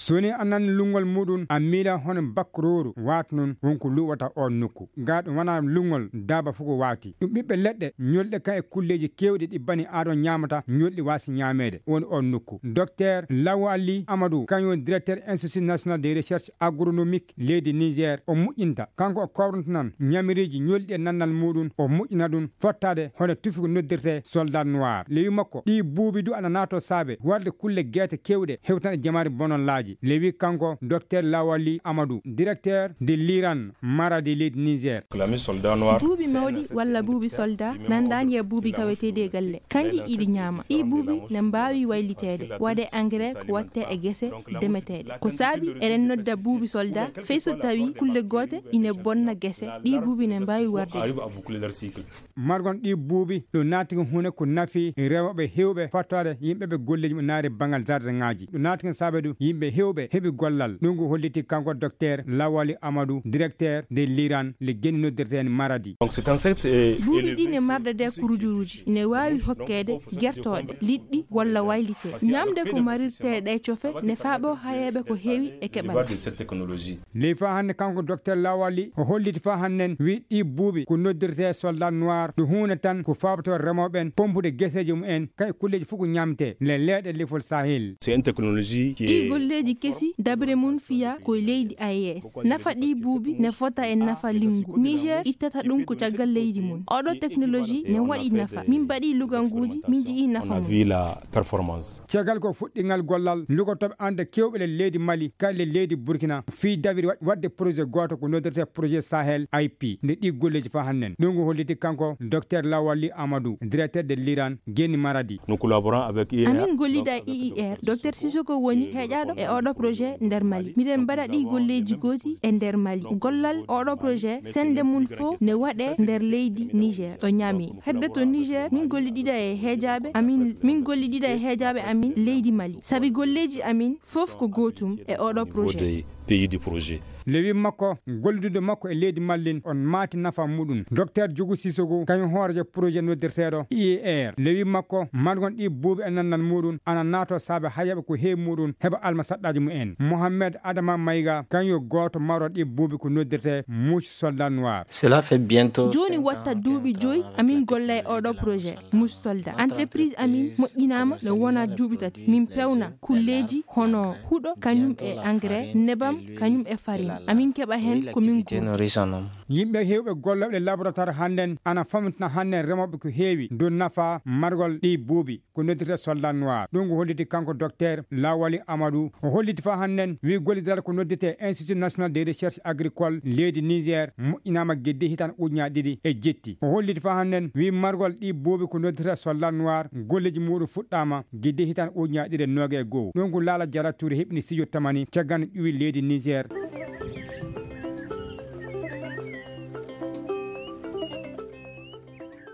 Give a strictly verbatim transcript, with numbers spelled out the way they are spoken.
So ni a nan lunngol muɗum, a miila hono bakkorooru waata noon won ko luuɓata oon nokku. Gaa ɗum wonaa lunngol daaba fof ko waati. Ɗum ɓiɓɓe leɗɗe ñolɗe kan e kulleeji keewɗi ɗi bani aadama ñaamata, ñolɗi waasi ñaameede woni oon nokku. Docteur Lawali Amadou, kañum woni directeur Institut National de Recherche Agronomique leydi Niger, o moƴƴinta. Kanko o kawranta nan ñamiriiji ñolɗi e nannal muɗum, o moƴƴina ɗum fottaade hono tufi ko noddirtee soldat noir. Lewi makko, ɗi buubi du ana naato saabe warde kulle geete keewɗe hewtan e jamaare bonol laaji. Lewi kanko, Docteur Lawali Amadou, directeur de l'Iran Maradi leydi Niger. Buubi mawɗi walla buubi soldat nandaani e buubi taweteeɗi e galle. Kanji iɗi ñaama. Ɗi buubi ne mbaawi wayliteede, waɗe engrais ko watte e gese demeteeɗe. Ko saabi eɗen nodda buubi soldat, fey so tawi kulle goote ine bonna gese, ɗi buubi ne mbaawi warde. Margon ɗi buubi, ɗum naati ko huunde ko nafi rewɓe heewɓe, fattoore yimɓe ɓe golleeji mo naari banngal jardin ŋaaji. Ɗum naati ko saabe ɗum yimɓe heewɓe heɓi gollal. Ɗum ko holliti kanko Docteur Lawali Amadou, directeur de l'Iran, le geni noddirteen Maradi. Donc, c'est un secte, euh, buubi ɗi ne marda de kurujuruji, ne waawi hokkeede gertooɗe, liɗɗi walla waylite. Ñamde ko marirte ɗe cofe ne faaɓo hayeeɓe ko heewi e keɓal. Ley faa hannde kanko Docteur Lawali o holliti faa hannden wi ɗi buubi ko noddirtee soldat noir, ɗum huunde tan ko faabatoo remooɓe ɓen pompude geseeji mum en, kay kulleeji fof ko ñamtee le leeɗe lefol Sahel. C'est une technologie qui ɗi est golleeji kesi dabre mum fiya ko e leydi A E S. Nafa ɗi buubi ne fota e nafa linngu. Niger ittata ɗum ko caggal leydi mum. Oɗo technologie ne waɗi nafa. Min mbaɗi luganguuji, min ji'i nafa mum. Caggal ko fuɗɗingal gollal lugotooɓe ande kewɓe le leydi Mali, kay le leydi Burkina, fii dabiri wa-, waɗde projet gooto ko noddirtee projet Sahel I P, nde ɗi golleeji faa hannden. Ɗum ko holliti kanko Docteur Lawali Amadou, directeur de l'Iran, geni Maradi. Nous collaborons avec I E R. Amin gollida e I E R. Docteur Sissoko woni heƴaaɗo e oɗo projet nder Mali. Miɗen mbaɗa ɗi golleeji gooti e nder Mali. Gollal oɗo projet, sende mum fof ne waɗe nder leydi Niger, ɗo Niamey. Hedde to Niger, min gollidida e heejaaɓe amin, min gollidida e heejaaɓe amin leydi Mali. Sabi golleeji amin fof ko gootum e oɗo projet. Pays du projet. Lewi makko, gollidude makko e leydi Mallin, on maati nafa muɗum. Docteur Djougou Sissoko, kañum hoorejo projet noddirteeɗo I E R. Lewi makko, margon ɗi buubi e nannal muɗum, ana naato saabe hayaɓe ko heewi muɗum, heɓa alma saɗɗaaji mumen. Mohamed Adama Maïga, kañum yo gooto maro ɗi buubi ko noddirtee mouche soldat noir. Cela fait bientôt jooni cinq watta ans duuɓi que joyi, amin golla e oɗo projet. Mouche soldat. Entreprise amin moƴƴinaama no wona duuɓi tati. Min pewna kulleeji hono huɗo, kañum e engrais, nebam, kañum e farine. Amin keɓa heen ko min guurdi. Yimɓe heewɓe gollooɓe laboratoire hannden ana famtina hannden remooɓe ko heewi dow nafa margol ɗi buubi, ko noddirta soldat noir. Ɗum ko holliti kanko Docteur Lawali Amadou. O holliti faa hannden, wi gollidiral ko noddirte Institut National de Recherche Agricole leydi Niger moƴƴinaama geddi hitan ujunaaji ɗiɗi e jetti. O holliti faa hannden, wi margol ɗi buubi ko noddirta soldat noir, golleeji muɗum fuɗɗaama geddi hitan ujunaaji ɗiɗi e noogay e go'o. Ɗum ko Laala Jara Touré heɓini studio Tamani caggal ƴuwi leydi Niger.